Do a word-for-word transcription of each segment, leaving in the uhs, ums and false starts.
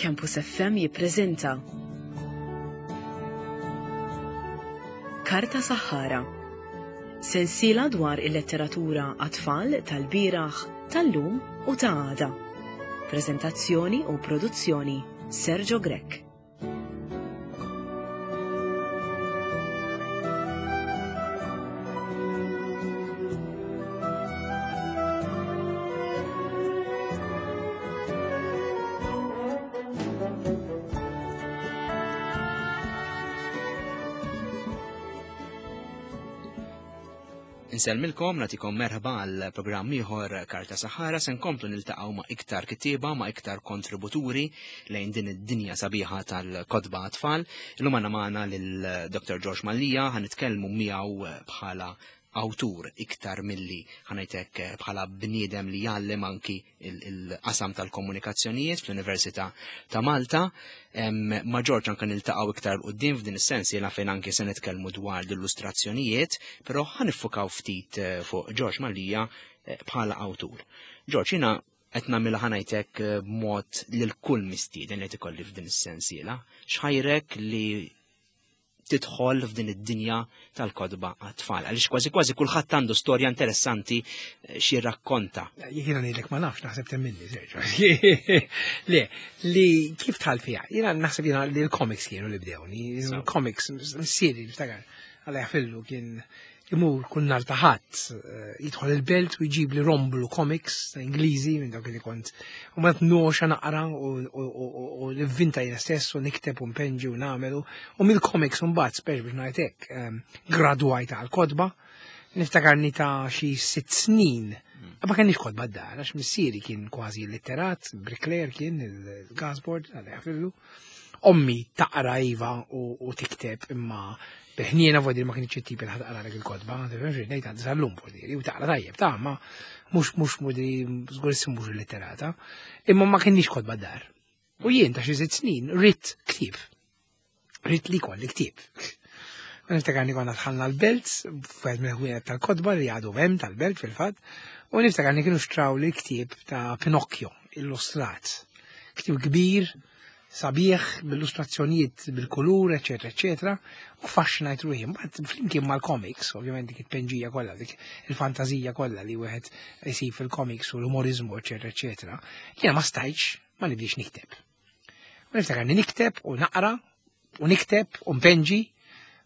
Campus F M jippreżenta Karta Saħħara, sensiela dwar il-letteratura għat-tfal tal-bieraħ, tal-lum u ta' għada. Prezentazzjoni u produzzjoni Sergio Grech. Insellmilkom, nagħtikom merħba għal programm ieħor Karta Saħħara. Se nkomplu niltaqgħu ma' iktar kittieba, ma' iktar kontributuri lejn din id-dinja sabiħa tal-kotba għat-tfal. Illum għandna magħna lil Doktor George Mallia, ħa nitkellmu miegħu bħala awtur iktar milli ħanajtek bħala bniedem li jgħallem anki il-qasam tal-komunikazzjonijiet fl-Università ta' Malta. Em, ma' George anke niltaqgħu iktar 'l quddiem f'din is-sens, jiena fejn anke se nitkellmu dwar l-illustrazzjonijiet, però ħanifukaw ftit, eh, fuq George Mallia, eh, bħala awtur. George, jiena qed nagħmilha ħanajtek, eh, b'mod lil kull mistieden li tikolli f'din is-sensiela. X'ħajrek li tidħol f'din id-dinja tal-kotba għat-tfal? Għaliex kważi kważi kulħadd għandu storja interessanti, eh, xi rakkonta. Jiena ngħidlek ma nafx, naħseb temminni, Sergio. Le, li kif tħall fiha? Jiena naħseb jiena li l-comics kienu li bdewni. Sew. Il-comics, missieri, niftakar, għalla jafillu kien imur kull nhar ta' ħadd, eh, jidħol il-belt u jġib li romblu comics ta' Ingliżi minn dawk li kont. U ma noxa naqra u, u, u, u, u nivvinta jiena stess u nikteb u npenġi u nagħmelu. U mill-comics mbagħad spex biex ngħid hekk, ehm, gradwajt għal kotba. Niftakarni ta' xi sitt snin. Ma kenniex kotba d-dar, għax missieri kien kważi litterat, bricklayer kien, il-gasboard, għalla jafillu. Ommi taqra iva u, u tikteb imma bil-ħniena vodir ma kienx it-tip li ħadd taqra il-kotba, tifhem xi ngħid għandi sal-lum vodir, u taqra tajjeb ta' ma mhux mhux mudri żgur issim mhux illitterata, imma ma kienx kotba d-dar. U jien ta' xi sitt snin ridt ktieb. Ridt li jkolli ktieb. U niftakarni konna dħalna l-belt, f'wieħed mill-ħwienet tal-kotba li għadu hemm tal-belt fil-fatt, u niftakarni kienu xtraw li ktieb ta' Pinocchio illustrat. Ktieb kbir, sabiħ, bil-illustrazzjonijiet, bil-kulur, eċetera, eċetera, u faxxinajt ruħi. Mbagħad flimkien mal-comics, ovvjament dik it-penġija kollha, dik il-fantażija kollha li wieħed isib fil-comics u l-umorizmu, eċetera, eċetera, jiena ma stajtx ma nibdiex nikteb. U niftakarni nikteb u naqra u nikteb u npenġi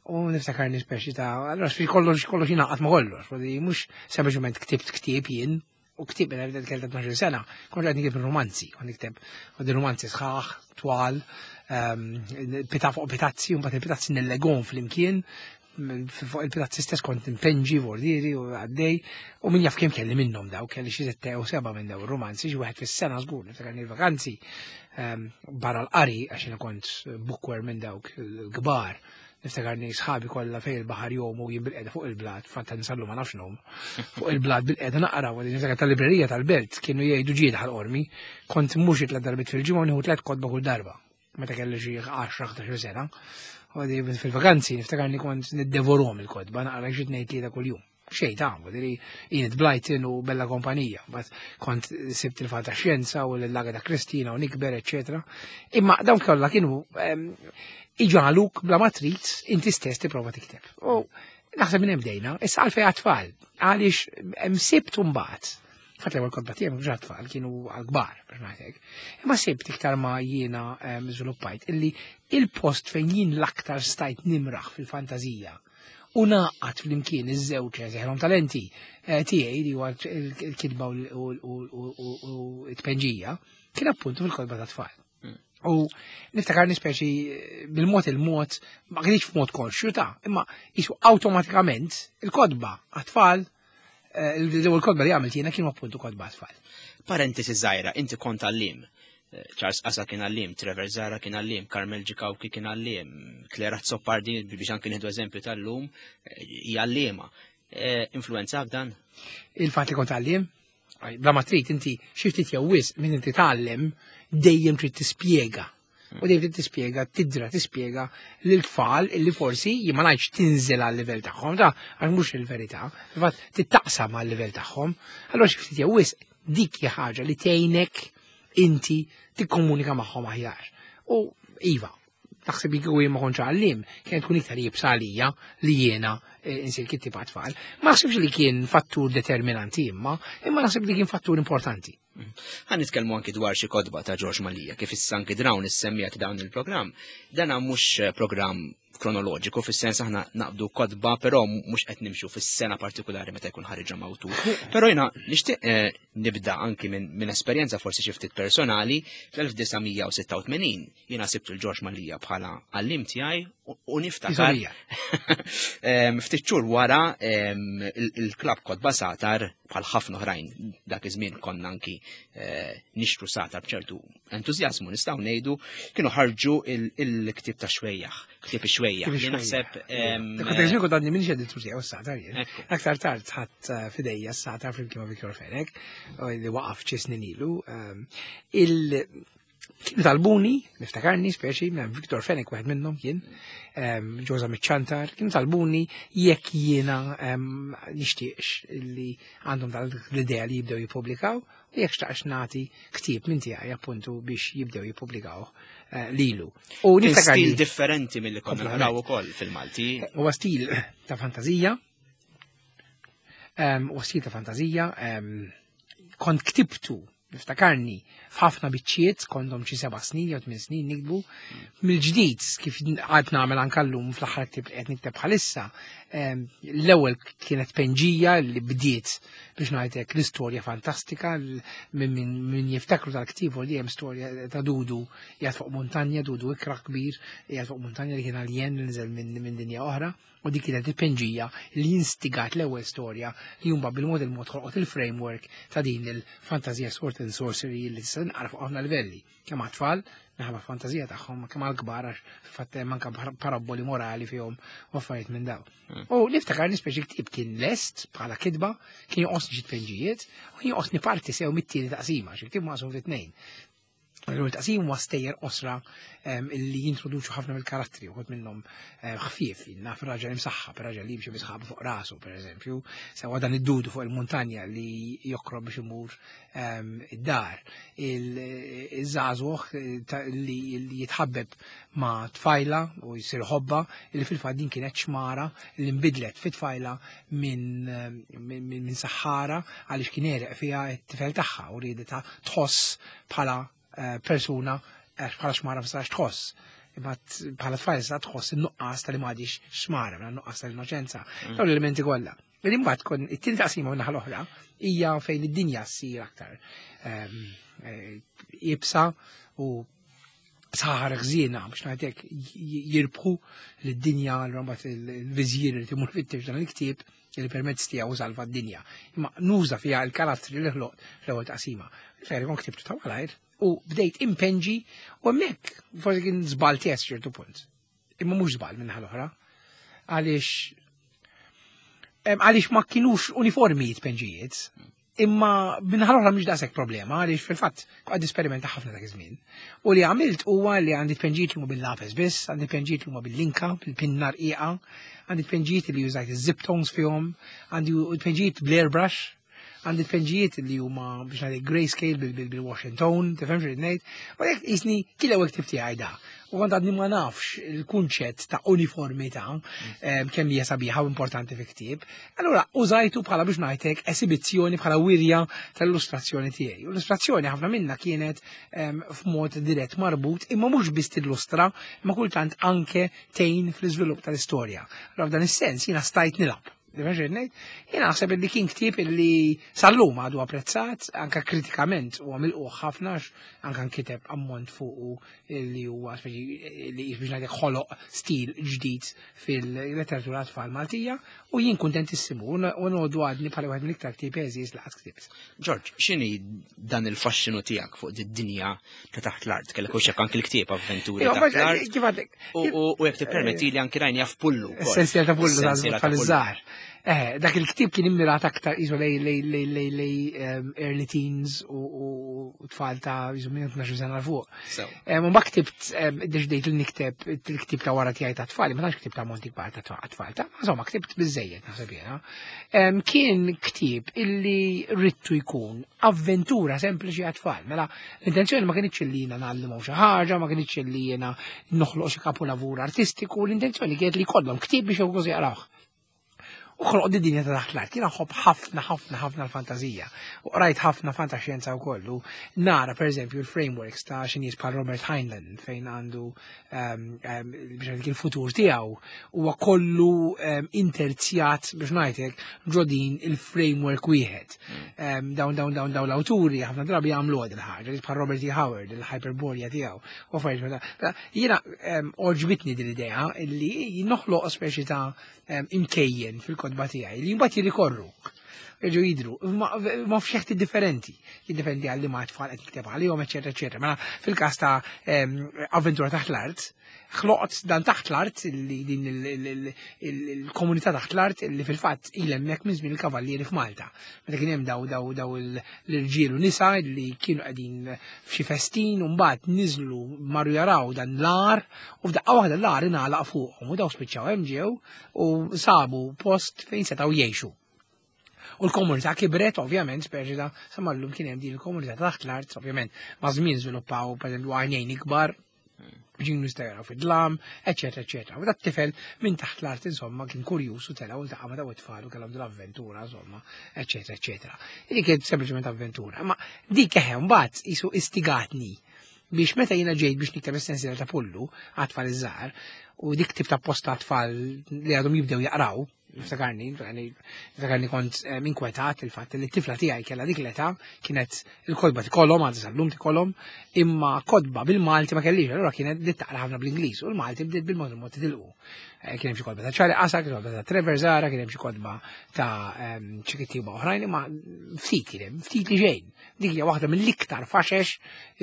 u niftakarni speċi ta' allora fi kollox kollox jingħaqad ma' kollox, u mhux sempliċement ktibt ktieb jien, u ktieb minn bdejt kellha tnax-il sena, kont qed nikteb romanzi, kont nikteb u din romanzi sħaħ, twal, ehm, pita fuq pitazzi, u mbagħad il-pitazzi nillegom flimkien, fuq il-pitazzi stess kont impenġi vordieri u għaddej, u min jaf kemm kelli minnhom daw, kelli xi sette u seba' minn daw ir-romanzi, xi wieħed fis-sena żgur, niftakar il-vakanzi, ehm, barra l-qari, għax jiena kont bookworm minn dawk il-kbar. Niftakarni sħabi kollha fejn il-baħar jom u jien bil-qeda fuq il-blat, fatta nsallu ma nafx nom, fuq il-blat bil-qeda naqra, u niftakar tal-librerija tal-belt kienu jgħidu ġieda ħal-qormi, kont mhux tliet darbiet fil-ġimgħa u nieħu tliet kotba kull darba, meta kelli xi għaxra ħdax-il sena. U għadi fil-vakanzi niftakarni kont niddevorom il-kotba, naqra xi tnejn tlieta kuljum. Xejn ta' għamu, diri Enid Blyton u Bella Kompanija, bat kont sibt il-fantaxjenza u l-Laga ta' Kristina u Nikber, eccetera. Imma dawn kollha kienu, ehm, iġagħluk bla ma trid inti stess tipprova tikteb. U naħseb minn hemm bdejna, issa għalfejn għat-tfal, għaliex hemm sibt mbagħad. Fatt l-ewwel kotba tiegħi mhux għat-tfal, kienu għall-kbar, biex ngħidlek. Imma sibt iktar ma jiena, ehm, żviluppajt illi il-post fejn jien l-aktar stajt nimraħ fil-fantażija u naqgħad flimkien iż-żewġ eżeħrom talenti, eh, tiegħi li huwa il-, il-kitba u l-, u l-, u l-, u t-tpenġija, kien appuntu fil-kotba tat-tfal. U niftakar nispeċi bil-mod il-mod, ma kienx f'mod konxju ta' imma jisu awtomatikament il-kotba għat-tfal, eh, l-ewwel kotba li għamilt jiena kienu appuntu kotba għat-tfal. Parentesi żgħira, inti kont għalliem. Eh, Charles Asa kien għalliem, Trevor Zahra kien għalliem, Carmel Ġikawki kien għalliem, Claire Azzopardi, biex anki nieħdu eżempju tal-lum, eh, hija għalliema. Eh, influenzak dan? Il-fatt li kont għalliem? Aj, bla ma trid inti xi ftit jew wisq minn inti tgħallem dejjem trid tispjega. U dejjem trid tispjega, tidra tispjega lil tfal illi forsi jien ma ngħidx tinżel għal-livell tagħhom, ta' għax mhux il-verità, fil-fatt tittaqsam għal-livell tagħhom. Allura xi ftit jew wisq dik hija ħaġa li tgħinek inti tikkomunika magħhom aħjar. U iva, naħseb li kieku jien ma kontx għallim, kienet tkun iktar iebsa għalija li jiena eh, insir kittieb tfal. Ma naħsibx li kien fattur determinanti imma, imma naħseb li kien fattur importanti. Ħa nitkellmu anki dwar xi kotba ta' George Mallia, kif issa anki drawn is-semmija ta' dawn il-programm. Dana mhux programm kronoloġiku, fis-sens aħna naqbdu kotba, però mhux qed nimxu fis-sena partikolari meta jkun ħariġhom awtur. Però jiena nixtieq eh, nibda anki minn min esperjenza forsi xi ftit personali. Fl-elf disa' mija u sitta u tmenin jiena sibt il-George Mallia bħala għallim tiegħi u- u niftakar Iżolija. Em, ftit xhur wara em, il- il-klab Kotba Sagħtar, bħal ħafna oħrajn dak iż-żmien konna anki eh, nixtru Sagħtar b'ċertu entużjażmu, nistgħu ngħidu, kienu ħarġu il- il-ktieb ta' Xwejjaħ, ktieb ix-Xwejjaħ. Ktieb Li ix-Xwejjaħ. naħseb em, Kont eżempju kont għadni minn editur tiegħu s-Sagħtar jien. Ekku. Aktar tard ħadd eh, f'idejja s-Sagħtar flimkien ma' Victor Fenech, u li waqaf xi snin ilu. Ehm, Il kienu talbuni, niftakarni speċi, minn Victor Fenech wieħed minnhom kien, ehm, Ġoża Miċ-Ċantar, kienu talbuni jekk jiena ehm, nixtieqx li għandhom dal l-idea li jibdew jippubblikaw u jekk xtaqx nagħti ktieb minn tiegħi appuntu biex jibdew jippubblikaw eh, lilu. U Kien niftakarni stil differenti milli konna Kompletament. naraw ukoll fil-Malti. Huwa stil ta' fantazija. Um, huwa stil ta' fantazija. Um, kont ktibtu, niftakarni, f'ħafna biċċiet, kontom xi seba' snin jew tmien snin nikbu. Mill-ġdid, kif għad nagħmel anke llum fl-aħħar ktieb li qed nikteb bħalissa, em, l-ewwel kienet penġija li bdiet biex ngħidlek l-istorja fantastika l- minn min, min jiftakru tal-ktieb li hemm storja ta' Dudu qiegħed fuq montanja, Dudu ikra kbir, qiegħed fuq montanja li kien alien li niżel minn min dinja oħra, u dik kienet il-penġija li instigat l-ewwel storja li jumba bil-mod il-mod ħolqot il-framework ta' din il-fantasija sword and sorcery li tista' tinqara fuq ħafna livelli. Kemm għat-tfal, minħabba fantazija tagħhom, kemm għall-kbar għax fil-fatt hemm anke paraboli morali fihom u affarijiet minn dawn. U niftakar nispeċi ktieb kien lest bħala kitba, kien joqosni xi tpenġijiet, u kien joqosni parti sew mit-tieni taqsima, xi ktieb maqsum fi tnejn. L-ewwel taqsim huwa stejjer qosra em, illi jintroduċu ħafna mill-karattri, uħud minnhom em, ħfief, naf raġel imsaħħa, raġel li jimxi bi sħabu fuq rasu, per eżempju, sewa dan id-dudu fuq il-muntanja li jokrob biex imur em, id-dar, il-żagħżugħ li li jitħabbeb ma' tfajla u jisir ħobba, li fil-fatt din kienet xmara li nbidlet fit tfajla minn minn minn saħħara għaliex kien għereq fiha t-tifel tagħha u rieditha tħoss bħala eh, persuna għax bħala xmara ma tistax tħoss. Imma t- bħala tfajla tista' tħoss in-nuqqas tal-li m'għadix xmara, minn nuqqas tal-innoċenza. Dawn l-elementi kollha. Li mbagħad kon it-tieni taqsima minn naħa l-oħra hija fejn id-dinja ssir aktar ehm, eh, iebsa u saħar ħżiena biex ngħidlek jirbħu lid-dinja l mbagħad il-viżjir li timur fittex dan il-ktieb li permezz tiegħu salva d-dinja. Imma nuża fiha l-karattri li ħloq fl-ewwel taqsima. Fejn kon ktibtu ta' malajr u bdejt impenġi u hemmhekk forsi kien żball tiegħek ċertu punt. Imma mhux żball minn l-oħra. Għaliex em, għaliex ma kienux uniformi tpenġijiet. Imma minn l-oħra mhux daqshekk problema għaliex fil-fatt għad esperimenta ħafna dak iż-żmien. U li għamilt huwa li għandi tpenġijiet li huma bil-lapes biss, għandi tpenġijiet li huma bil-linka, bil-pinna rqiqa, għandi tpenġijiet li użajt iż-zip-tones fihom, għandi tpenġijiet bl-airbrush, għandi tpenġijiet li huma biex ngħid grayscale bil-wash and tone, tifhem xi ngħid. U jekk jisni kien l-ewwel ktieb tiegħi da. U kont għadni ma nafx il-kunċett ta' uniformità em, kemm hija sabiħa u importanti fi ktieb. Allura użajtu bħala biex ngħidlek esibizzjoni, bħala wirja tal-illustrazzjoni tiegħi. U l-illustrazzjoni ħafna minna kienet em, f'mod dirett marbut, imma mhux biss tillustra, imma kultant anke tgħin fl-iżvilupp tal-istorja. Allura f'dan is-sens jiena stajt nilgħab. Jiena naħseb li kien ktieb li sal-lum għadu apprezzat, anka kritikament u għamil ħafna, anka nkiteb ammont fuq li huwa speċi li biex ngħidlek ħoloq stil ġdid fil-letteratura tfal Maltija u jien kuntentissimu u ngħoddu għadni bħala wieħed mill-iktar ktieb għeżież li qatt ktibt. George, x'inhi dan il-faxxinu tiegħek fuq id-dinja ta' taħt l-art? Kellek u anki l-ktieb Avventuri Iva, taħt l-art. Kif għadlek? U u- u jekk tippermetti li anki rajni Pullu wkoll. Essenzjal ta' Pullu Essenzjala ta' ta' Pullu. żgħar. Eh, dak il-ktieb kien immirat aktar iżu lej lej lej lej lej ehm, early teens u u tfal ta' iżu minn tnax-il sena 'l fuq. So, Em, U ma ktibt, em, iddeċidejt li nikteb il-ktieb ta' wara tiegħi ta' tfal, ma tantx ktibt ta' monti kbar ta' tfal, ta' insomma ktibt biżejjed naħseb jiena. Em, Kien ktieb illi ridtu jkun avventura sempliċi għat-tfal. Mela, l-intenzjoni ma kienx li jiena ngħallimhom xi ħaġa, ma kienx li jiena noħloq xi kapolavur artistiku, l-intenzjoni kienet li jkollhom ktieb biex jgħu jaqrawh. U ħloq di dinja ta' taħt l-art. Jiena nħobb ħafna, ħafna, ħafna l-fantazija. U rajt ħafna fantaxjenza u kollu. Nara, per eżempju, il-frameworks ta' xi nies bħal Robert Heinlein, fejn għandu um, um, biex ngħidlek il-futur tiegħu huwa kollu um, interzjat biex ngħidlek ġo din il-framework wieħed. Um, dawn dawn dawn dawn l-awturi ħafna drabi jagħmlu għad il-ħaġa, bħal Robert E. Howard, il-Hyperborea tiegħu. U affarijiet bħal da. Jiena um, għoġbitni din l-idea illi noħloq speċi ta' um, imkejjen fil-kotba tiegħi li mbagħad jirrikorru. Jerġgħu jidru, ma, ma f'xeħti differenti, jiddependi għal li ma tfal qed nikteb għalihom, eċetera, eċetera. Mela fil-każ ta' em, avventura taħt l-art, ħloqt dan taħt l-art, li din il- il- il- il- il-komunità taħt l-art li fil-fatt ilha hemmhekk minn żmien il-kavallieri f'Malta. Meta kien hemm daw daw daw il- l-irġiel u nisa li kienu qegħdin f'xi festin u mbagħad niżlu marru jaraw dan l-għar u f'daqqa waħda l-għar ingħalaq fuqhom u daw spiċċaw hemm ġew u sabu post fejn setgħu jgħixu. U l-komunità kibret, ovvjament, speċi ta' sa mallum kien hemm din il-komunità taħt l-art, ovvjament, ma' żmien żviluppaw pereżempju għajnejn ikbar, ġinu jistgħu fid-dlam, eċetera, eċetera. U dat tifel minn taħt l-art, insomma, kien kurjus u tela u ltaqa' ma' daw it-tfal u kellhom dil-avventura, insomma, eċetera, eċetera. Dik kienet sempliċement avventura. Ma dik eħe mbagħad isu istigatni biex meta jiena ġejt biex nikteb is-sensiela ta' Pullu għat-tfal iż-żgħar u dik tip ta' posta tfal li għadhom jibdew jaqraw, niftakarni, niftakarni kont eh, inkwetat il-fatt li t-tifla tiegħi kellha dik l-età kienet il-kotba tikolhom, għadha sal-lum tikolhom, imma kotba bil-Malti ma kellix, allura kienet bdiet taqra ħafna bl-Ingliż u l-Malti bdiet bil-mod il-mod titilqu. Eh, Kien hemm xi kotba ta' Charlie Qasa, kien kotba ta' Trevor Zahra, kien hemm xi kotba ta' ehm, xi kittieba oħrajn, imma ftit kien hemm, ftit li xejn. Dik hija waħda mill-iktar faxex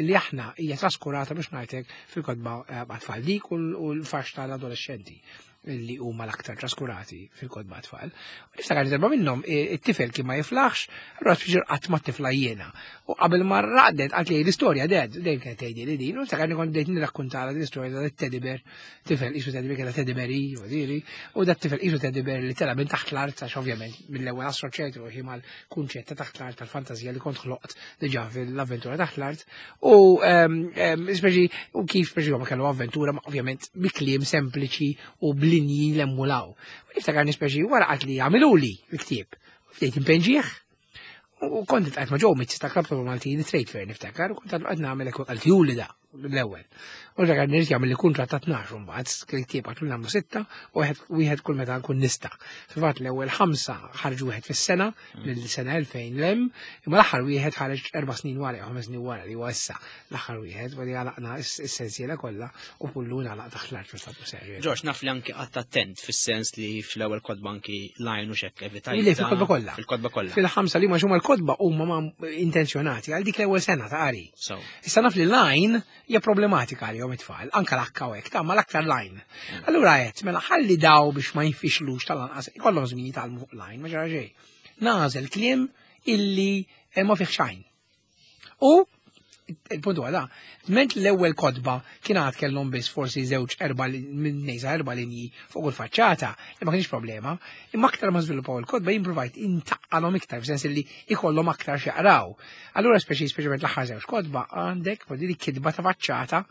li aħna hija traskurata biex ngħidlek fil-kotba eh, għat-tfal dik u l-fax tal-adolescenti li huma l-aktar traskurati fil-kotba tfal. U niftakar li darba minnhom eh, it-tifel kien ma jiflaħx, allura spiċċa qatt ma tifla jiena. U qabel ma raqdet qalt li l-istorja dad, dejjem kienet tgħidli li din, u niftakar li kont bdejt nirrakkuntala l-istorja ta' teddy bear, tifel isu teddy bear kellha teddy bear i, u dat tifel isu teddy bear li tela minn taħt l-art għax ovvjament mill-ewwel assoċjajt ruħi mal-kunċett ta' taħt l-art tal-fantasija li kont ħloqt diġà fil-avventura taħt l-art. U ehm, ehm, speċi u kif speċi ma kellu avventura, ma ovvjament bi kliem sempliċi u b'linji l-emmulaw. U niftakar speċi wara qalt li għamiluli l-ktieb. Bdejt inpinġih. U kont iltqajt ma' Joe Mizzi ta' Klabb Maltin Trade Fair niftakar, u kont għad nagħmel hekk għal da l-ewwel. U niftakar nirrid jagħmel li kuntratt ta' tnax mbagħad, ktieb għatlu nagħmlu sitta u wieħed kull meta nkun nista'. Fil-fatt l-ewwel ħamsa ħarġu wieħed fis-sena mill-sena elfejn lem, imma l-aħħar wieħed ħareġ erba' snin wara jew ħames snin wara li huwa issa l-aħħar wieħed wara għalaqna s-sensiela kollha u kullu nagħlaq taħt l-art fil-fatt serju. George, naf li anki qatt attent fis-sens li fl-ewwel kotba anki lajn u xekk evitajt. Li fil-kotba kollha. Fil-kotba kollha. Fil-ħamsa li ma xumma l-kotba huma ma intenzjonati għal dik l-ewwel sena ta' qari. So, Issa naf li lajn hija problematika għalihom it-tfal, anka l-akka u hekk, ta' ma l-aktar lajn. Allura qed mela ħalli daw biex ma jinfixlux tal-anqas ikollhom żmien jitgħallmu fuq lajn, ma ġara xejn. Nagħżel kliem illi eh, ma fih xejn. U il-punt huwa da, ment l-ewwel kotba kien għad kellhom biss forsi żewġ erba' minn nejsa erba' linji fuq il-faċċata, li ma kienx problema, imma aktar ma żviluppaw il-kotba jien provajt intaqqalhom iktar f'sens li ikollhom aktar x'jaqraw. Allura speċi speċjalment l-aħħar żewġ kotba għandek voldiri kitba ta' faċċata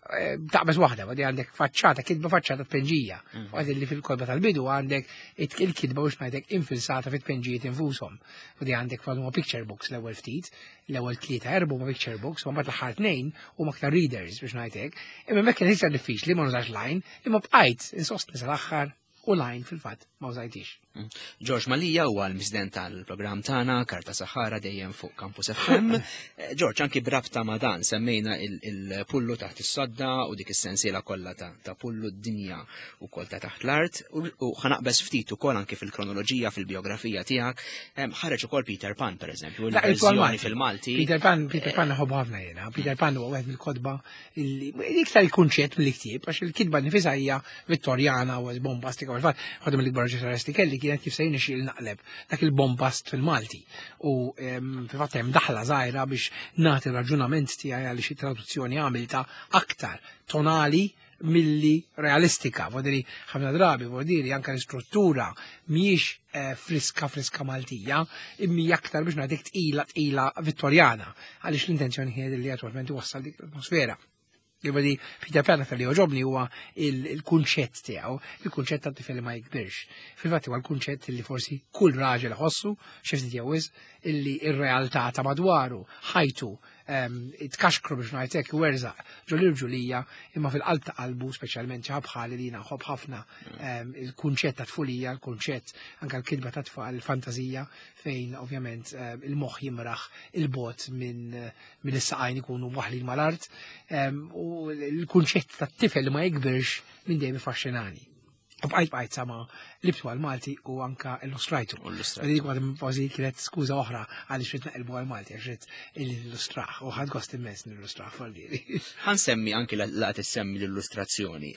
eh, taqbeż waħda, għadi għandek faċċata, kitba faċċata tpenġija. Għadi li fil-kotba tal-bidu għandek it- il-kitba biex ngħidlek infilsata fit-tpenġijiet infushom. Għadi għandek huma picture books l-ewwel ftit, l-ewwel tlieta erbu ma picture books, u mbagħad l-aħħar tnejn huma aktar readers biex ngħidlek. Imma hemmhekk kien iktar diffiċli ma nużax line, imma bqajt insostni sal-aħħar u line fil-fatt ma użajtix. George Mallia huwa l-mistieden tal-programm tagħna Karta Sahara dejjem fuq Campus F M. Eh, George, anki brabta ma' dan semmejna il- il-pullu taħt is-sodda u dik is-sensiela kollha ta' ta' pullu d-dinja u kol ta' taħt l-art u u ħa naqbeż ftit ukoll anki fil-kronoloġija fil-biografija tiegħek. Em, Ħareġ ukoll Peter Pan pereżempju, La, il-verżjoni fil-Malti. Peter Pan, Peter Pan nħobbu ħafna jiena. Peter Pan huwa wieħed mill-kotba illi iktar il-kunċett mill-ktieb, għax il-kitba nifisha hija Vittorjana u bombastika u l-fatt waħda mill-ikbar ġeneralisti kelli kienet kif se jirnexxieli naqleb dak il-bombast fil-Malti. U fil-fatt hemm daħla żgħira biex nagħti raġunament tiegħi għaliex it-traduzzjoni għamilta aktar tonali milli realistika. Vodiri, ħafna drabi, vodiri, anka l-istruttura mhijiex eh, friska friska Maltija, imma aktar biex ngħidlek tqila tqila Vittorjana, għaliex l-intenzjoni kienet li attwalment iwassal dik l-atmosfera. Jiġifieri, Peter Pan li jogħġobni huwa il-kunċett tiegħu, il-kunċett ta' tifel li ma jikbirx. Fil-fatt huwa l-kunċett li forsi kull raġel ħossu, xi ftit jew illi ir-realtà ta' madwaru, ħajtu, tkaxkru biex ngħidlek werżaq ġol-irġulija, imma fil-qalb ta' qalbu, speċjalment xi bħali li jiena nħobb ħafna il-kunċett ta' tfulija, il-kunċett anke l-kitba ta' tfal, il-fantażija, fejn ovvjament il-moħħ jimraħ il-bogħod minn mill-saqajn ikunu waħlin mal-art, u l-kunċett ta' tifel li ma jikbirx minn dejjem iffaxxinani. U bqajt bqajt sama qlibtu għal-Malti u anka illustrajtu. Dik għad kważi kienet skuża oħra għaliex ridt naqilbu għal-Malti, għax ridt illustrah u ħadt gost immens nillustrah fol-diri. Ħa nsemmi anki laqt issemmi l-illustrazzjoni,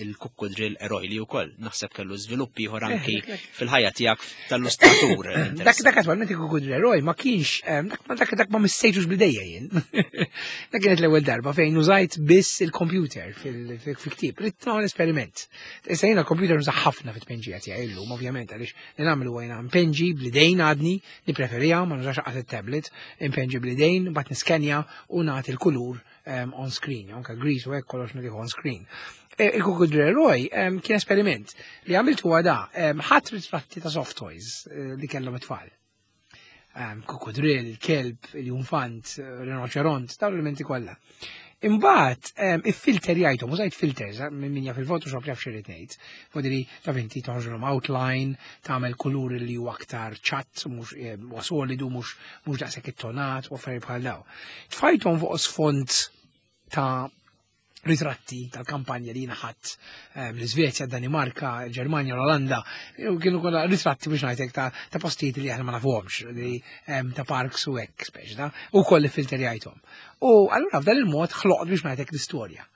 il-kukkudrill eroj li wkoll naħseb kellu żviluppi ieħor anki fil-ħajja tiegħek tal-illustratur. Dak dak attwalment il-kukkudrill eroj ma kienx, dak dak ma missejtux bidejja jien. Dak kienet l-ewwel darba fejn użajt biss il-computer fil-ktieb. Ridt nagħmel esperiment. Issa jiena l-computer nuża ħafna fit-tpenġija tiegħi illum, ovvjament, għaliex li nagħmlu għajna npenġi bl-idejn għadni, nippreferija, ma nużax qatt it-tablet, npenġi bl-idejn, mbagħad niskenja u nagħti l-kulur on screen, anke grease u hekk kollox nagħtih on screen. Il-Kukkudrill Eroj kien esperiment li għamiltu huwa da, ħadt ritratti ta' soft toys li kellhom it-tfal. Kukkudrill, kelb, il-iljunfant, rinoċeront, dawn l-elementi kollha. Imbagħad iffilterjajthom, użajt filters, minn jaf il-Photoshop jaf x'irrid ngħid. Fodiri taf inti toħroġlhom outline, tagħmel kulur li huwa aktar ċatt, mhux huwa solidu, mhux mhux daqshekk ittonat u affarijiet bħal daw. Tfajthom fuq sfond ta' ritratti tal-kampanja li ħadt l-Svezja, Danimarka, Ġermanja, l-Olanda, kienu kollha ritratti biex ngħidlek ta' ta' postijiet li aħna ma nafuhomx, li ta' parks u hekk speċi ta' u koll filterjajthom. U allura f'dan il-mod ħloqt biex ngħidlek l-istorja.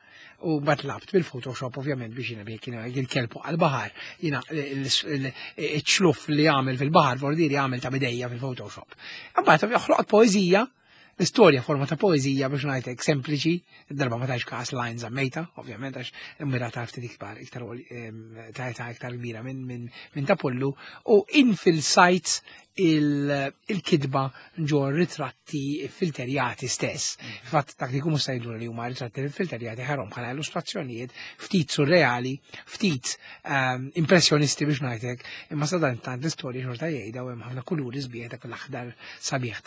U mbagħad lgħabt bil-Photoshop ovvjament biex jiena biex kien il-kelb għal-baħar, jiena iċ-ċluf li għamel fil-baħar vordiri għamel ta' bidejja fil-Photoshop. Mbagħad ħloqt poeżija, l-istorja forma ta' poezija biex ngħidlek sempliċi, darba ma tajx każ lines żammejta, ovvjament għax mira ta' ftit ikbar, iktar ta' ta' iktar kbira minn min, min ta' Pullu, u infilsajt il-kitba ġo ritratti filterjati stess. Fatt dak li jkunu stajdu li huma ritratti filterjati ħarhom bħala illustrazzjonijiet ftit surreali, ftit um, impressjonisti biex ngħidlek, imma sadan tant l-istorja xorta jgħidha u hemm ħafna kuluri sbieħ dak l-aħdar sabiħ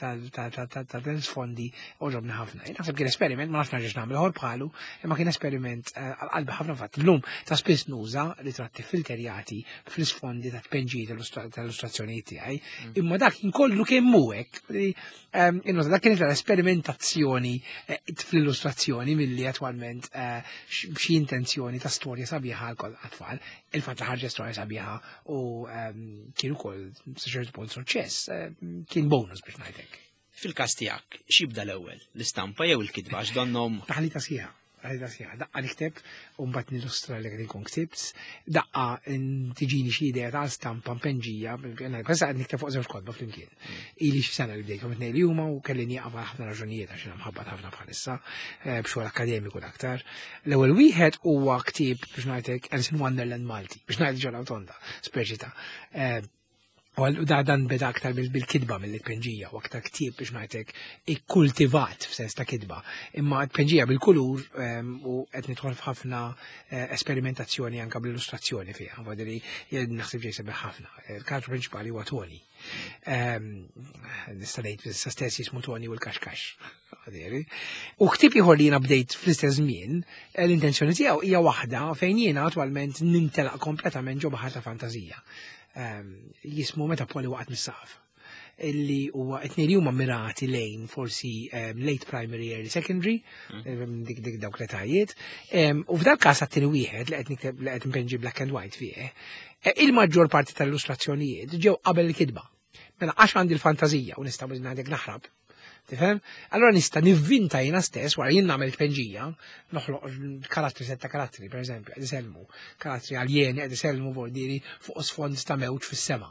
tal-sfondi għoġobni ħafna. Naħseb kien esperiment, ma nafx nerġax nagħmel ieħor bħalu, imma kien esperiment eh, għal-qalbi ħafna. Fatt llum ta' spiss nuża ritratti filterjati fl-isfondi ta' tpenġijiet tal-illustrazzjonijiet tiegħi, imma dak kien kollu kemm hu hekk. Innota dak kienet l-esperimentazzjoni eh, fl-illustrazzjoni milli attwalment eh, xi intenzjoni ta' storja sabiħa għal għat-tfal. Il-fatt li ħarġet storja sabiħa u ehm, kien ukoll sa ċertu punt suċċess, eh, kien bonus biex ngħidlek. Fil-każ tiegħek, x'jibda l-ewwel, l-istampa jew il-kitba għax donnom Taħlita sħiħa. Taħlita sħiħa. Daqqa nikteb u mbagħad nillustra li qed inkun ktibt, daqqa tiġini xi idea ta' stampa mpenġija, bħessa qed nikteb fuq żewġ kotba flimkien. Ili xi sena li bdejthom it-tnejn li huma u kelli nieqaf għal ħafna raġunijiet għax jiena mħabbat ħafna bħalissa eh, b'xogħol akademiku l-aktar. L-ewwel wieħed huwa ktieb biex ngħidlek Alice in Wonderland Malti, biex ngħid ġola tonda, speċi ta' eh, U għal- da dan beda aktar bil- bil-kitba mill-tpenġija u aktar ktieb biex ngħidlek ikkultivat f'sens ta' kitba. Imma tpenġija bil-kulur em, u qed nidħol f'ħafna eh, esperimentazzjoni anka bl-illustrazzjoni fiha. Vodiri jien naħseb ġej sabiħ ħafna. Il-karattru prinċipali huwa Tony. Em, Nista' ngħid sa stess jismu Tony u l-kaxkax. Għadiri. U ktieb ieħor li jiena bdejt fl-istess żmien, eh, l-intenzjoni tiegħu hija waħda fejn jiena attwalment nintelaq kompletament ġo baħar ta' fantażija. Em, jismu Meta Poli waqgħet mis-saqaf, illi huwa it-tnejn li huma mirati lejn forsi um, late primary, early secondary, um, dik dik dawk l-etajiet. Um, u f'dal każ għat-tieni wieħed li qed nikteb li qed npenġi black and white fih, eh, il-maġġor parti tal-illustrazzjonijiet ġew qabel il-kitba. Mela għax għandi l-fantażija u nista' ngħidlek naħrab Tifhem? Allora nista' nivvinta jiena stess wara jien nagħmel tpenġija, noħloq karattri, setta karattri, pereżempju, qed isellmu, karattri aljeni qed isellmu vordiri fuq sfond ta' mewġ fis-sema.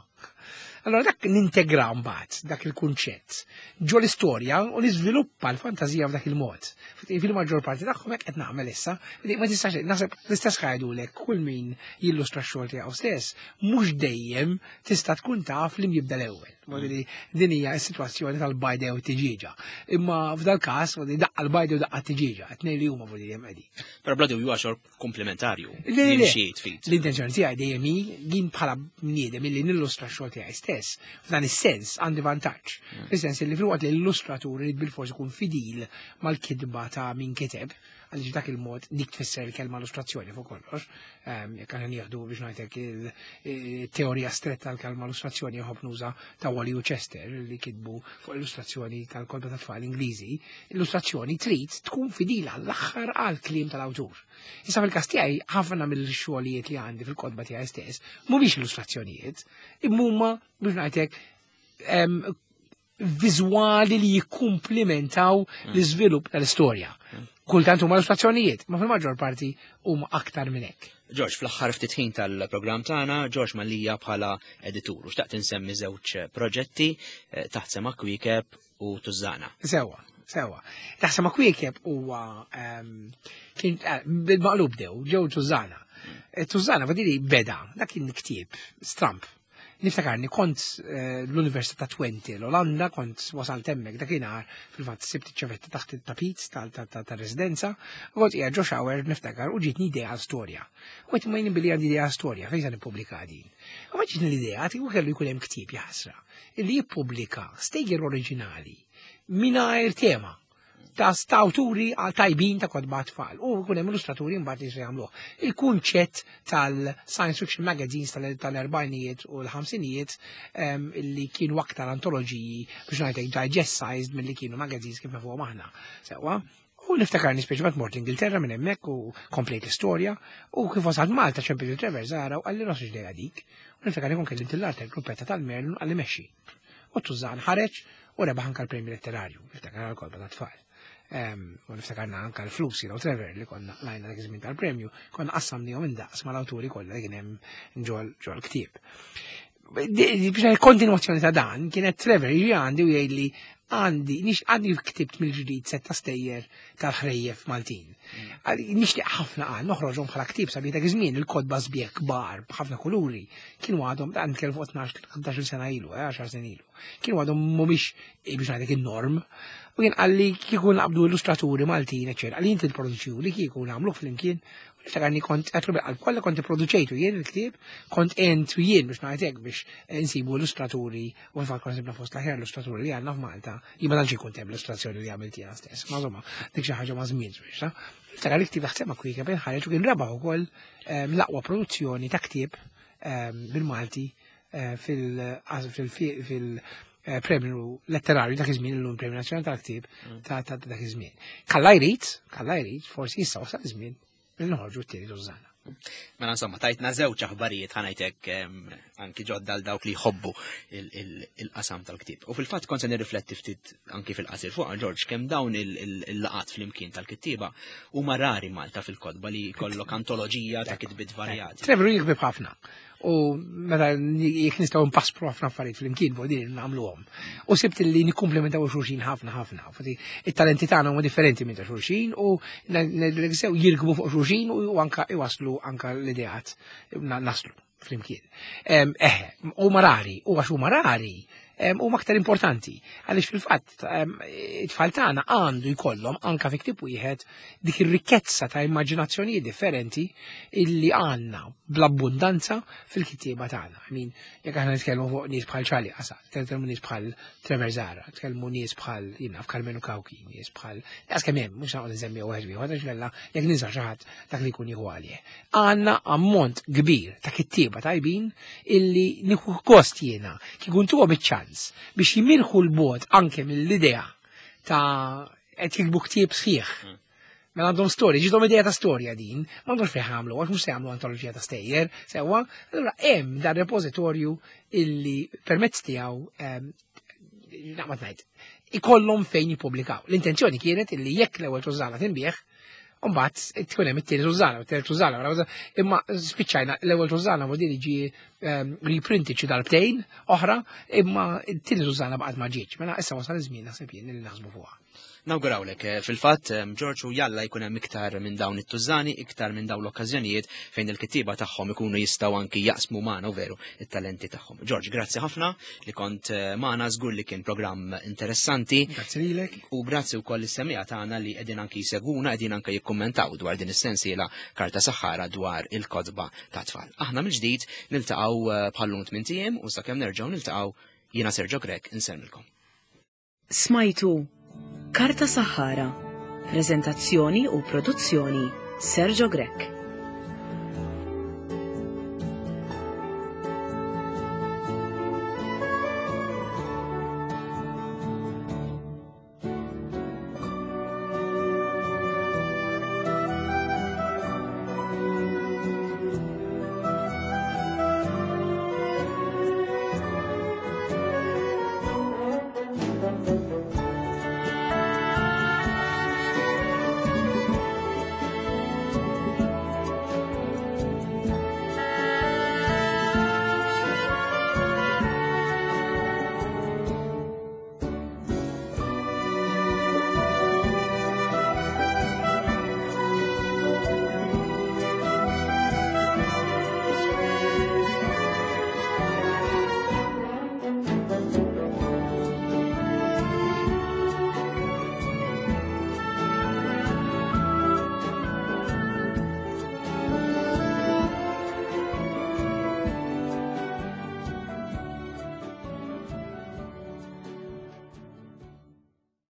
Allora dak nintegra mbagħad dak il-kunċett ġo l-istorja u niżviluppa l-fantażija f'dak il-mod. Fil-maġġor parti tagħhom hekk qed nagħmel issa, ma tistax naħseb l-istess ħajdulek kull min jillustra x-xogħol tiegħu stess, mhux dejjem tista' tkun taf li jibda l-ewwel. Din hija s-sitwazzjoni tal-bajda u t-tiġieġa. Imma f'dal każ daqqa l-bajda u daqqa t-tiġieġa, tnejn li huma vodi hemm qegħdin. Però bla dubju għaxor komplementarju. L-intenzjoni tiegħi dejjem hi jien bħala bniedem illi nillustra x-xogħol tiegħi stess. F'dan is-sens għandi vantaġġ. Fis-sens li filwaqt li l-illustratur irid bilfors ikun fidil mal-kitba ta' min kiteb, għaliex dak il-mod dik tfisser il-kelma illustrazzjoni fuq kollox. Jekk aħna nieħdu biex ngħidlek il-teorija stretta tal-kelma illustrazzjoni jħobb nuża ta' Wally u Chester li kitbu fuq illustrazzjoni tal-kotba ta' tfal Ingliżi, illustrazzjoni trid tkun fidila l-aħħar għal kliem tal-awtur. Issa fil-każ tiegħi ħafna mill-xogħlijiet li għandi fil-kotba tiegħi stess mhumiex illustrazzjonijiet, imma huma biex ngħidlek viżwali li jikkumplementaw l-iżvilupp tal-istorja. Kultant huma illustrazzjonijiet, ma fil-maġġor parti huma aktar minn hekk. George, fl-aħħar ftit ħin tal-programm tagħna, George Mallia bħala editur, u xtaqt insemmi żewġ proġetti, Taħt Sema Kwiekeb u Tużżana. Sewa, sewa. Taħt Sema Kwiekeb huwa kien bil-maqlub dew, ġew Tużżana. Tużżana fadili beda, dak kien ktieb stramp. Niftakarni kont l-Università ta' Twente, l-Olanda, kont wasalt hemmhekk dakinhar fil-fatt sibt iċ-ċavetta taħt it-tapit tal-residenza, u kont qiegħed ġo shower niftakar u ġietni idea għal storja. U għedt ma jien billi għandi idea għal storja, fejn se nippubblika din. U ma ġietni l-idea u kellu jkun hemm ktieb jaħsra illi jippubblika stejjer oriġinali mingħajr tema ta' awturi tajbin ta' kotba tfal u jkun hemm illustraturi mbagħad li jagħmluh. Il-kunċett tal-science fiction magazines tal-erbajnijiet u l-ħamsinijiet li kienu aktar antoloġiji biex ngħidlek digest sized milli kienu magazines kif nafuhom aħna. Sewwa. U niftakarni speċjalment mort Ingilterra minn hemmhekk u komplejt l-istorja u kif wasalt Malta ċempel Trevor Zahra u qalli ross ġdejja dik. U niftakarni kon kellimt l-art gruppetta tal-Merlin qalli mexxi. U Tużżan ħareġ u rebaħ anke l-premju letterarju, niftakar għal-kotba ta' tfal. U niftakarna anka l-flus jiena u Trevor li konna lajna dak iż-żmien tal-premju, konna qassamnihom indaqs mal-awturi kollha li kien hemm ġol ġol ktieb. Biex kontinwazzjoni ta' dan kienet Trevor jiġi għandi u jgħidli għandi nix għandi ktibt mill-ġdid setta stejjer tal-ħrejjef Maltin. Nixtieq ħafna qal noħroġhom bħala ktieb sabiħ dak iż-żmien il-kotba sbieħ kbar b'ħafna kuluri kienu għadhom dan nitkellem fuq tnax sena ilu, għaxar sena ilu. Kienu għadhom mhumiex biex ngħidlek in-norm. U kien qalli kieku naqbdu illustraturi Maltin, eċċetera, qalli inti tipproduċiw li kieku nagħmluh flimkien. Niftakarni kont qed bil-qalb kollha kont ipproduċejtu jien il-ktieb, kont għent jien biex ngħidlek biex insibu illustraturi u fil-fatt kont sibna fost l-aħjar illustraturi li għandna f'Malta. Jien ma tantx ikun hemm l-illustrazzjoni li għamilt jiena stess. Ma insomma, dik xi ħaġa ma' żmien biex. Niftakar il-ktieb Taħt Sema Kwiekeb ħareġ u kien rebaħ ukoll l-aqwa produzzjoni ta' ktieb bil-Malti fil premju letterarju dak iż-żmien illum Premju Nazzjonali tal-Ktieb ta' dak iż-żmien. Kalla jrid, kalla jrid, forsi issa wasal iż-żmien li noħorġu t-tieni Tużżana. Mela insomma, tajtna żewġ aħbarijiet ħanajtek anki ġodda għal dawk li jħobbu il-qasam tal-ktieb. U fil-fatt kont se nirrifletti ftit anki fil-qasir fuq George kemm dawn il-laqat flimkien tal-kittieba huma rari Malta fil-kotba li jkollok antoloġija ta' kitbiet varjati. Trevor jikbib ħafna. U meta jekk nistgħu npaspru ħafna affarijiet flimkien fuq din nagħmluhom. U sibt li nikkumplementaw xulxin ħafna ħafna. It-talenti tagħna huma differenti minn ta' xulxin u sew jirkbu fuq xulxin u anka iwaslu anka l-ideat naslu flimkien. Eħe, huma rari, u għax huma rari, huma aktar importanti. Għaliex fil-fatt it-tfal tagħna għandu jkollhom anka fi ktieb wieħed dik ir-rikkezza ta' immaġinazzjonijiet differenti illi għandna bl-abbundanza fil-kittieba tagħna. I mean, jekk aħna nitkellmu fuq nies bħal Charlie Qasat, nitkellmu nies bħal Trevor Zahra, nitkellmu nies bħal jiena f'Karmenu Cauchi, nies bħal daqs kemm hemm, mhux noqgħod nsemmi wieħed wieħed għax kellha jekk ninsa xi ħadd dak li jkun jieħu għalih. Għandna ammont kbir ta' kittieba tajbin illi nieħu gost jiena kieku ntuhom iċ-ċans biex jimirħu l-bot anke mill-idea ta' qed jiktbu ktieb sħiħ. Mela għandhom storja, ġidhom idea ta' storja din, ma għandhomx fejn jagħmlu, għax mhux se jagħmlu antoloġija ta' stejjer, sewwa, allura hemm dan repożitorju illi permezz tiegħu naqbad ngħid, ikollhom fejn jippubblikaw. L-intenzjoni kienet illi jekk l-ewwel tużana tinbiegħ, mbagħad tkun hemm it-tieni tużana, it-tieni tużana, imma spiċċajna l-ewwel tużana modili ġie ehm, reprinted xi darbtejn oħra, imma t-tieni tużana baqgħet ma ġietx. Mela issa wasal iż-żmien, naħseb jien, li naħsbu fuqha. Nawgurawlek, eh, fil-fatt, eh, George, u jalla jkun hemm iktar minn dawn it-tużani, iktar minn dawn l-okkażjonijiet fejn il-kittieba tagħhom ikunu jistgħu anki jaqsmu magħna u veru it-talenti tagħhom. George, grazzi ħafna li kont eh, magħna, żgur li kien programm interessanti. Grazzi lilek. U grazzi wkoll is-semmiegħa tagħna li qegħdin anki jsegwuna, qegħdin anke jikkummentaw dwar din is-sensiela Karta Saħħara dwar il-kotba ta' tfal. Aħna mill-ġdid niltaqgħu bħal-lum tmint ijiem u sakemm nerġgħu niltaqgħu, jiena Sergio Grech insellmilkom. Smajtu Karta Saħħara, prezentazzjoni u produzzjoni Sergio Grech.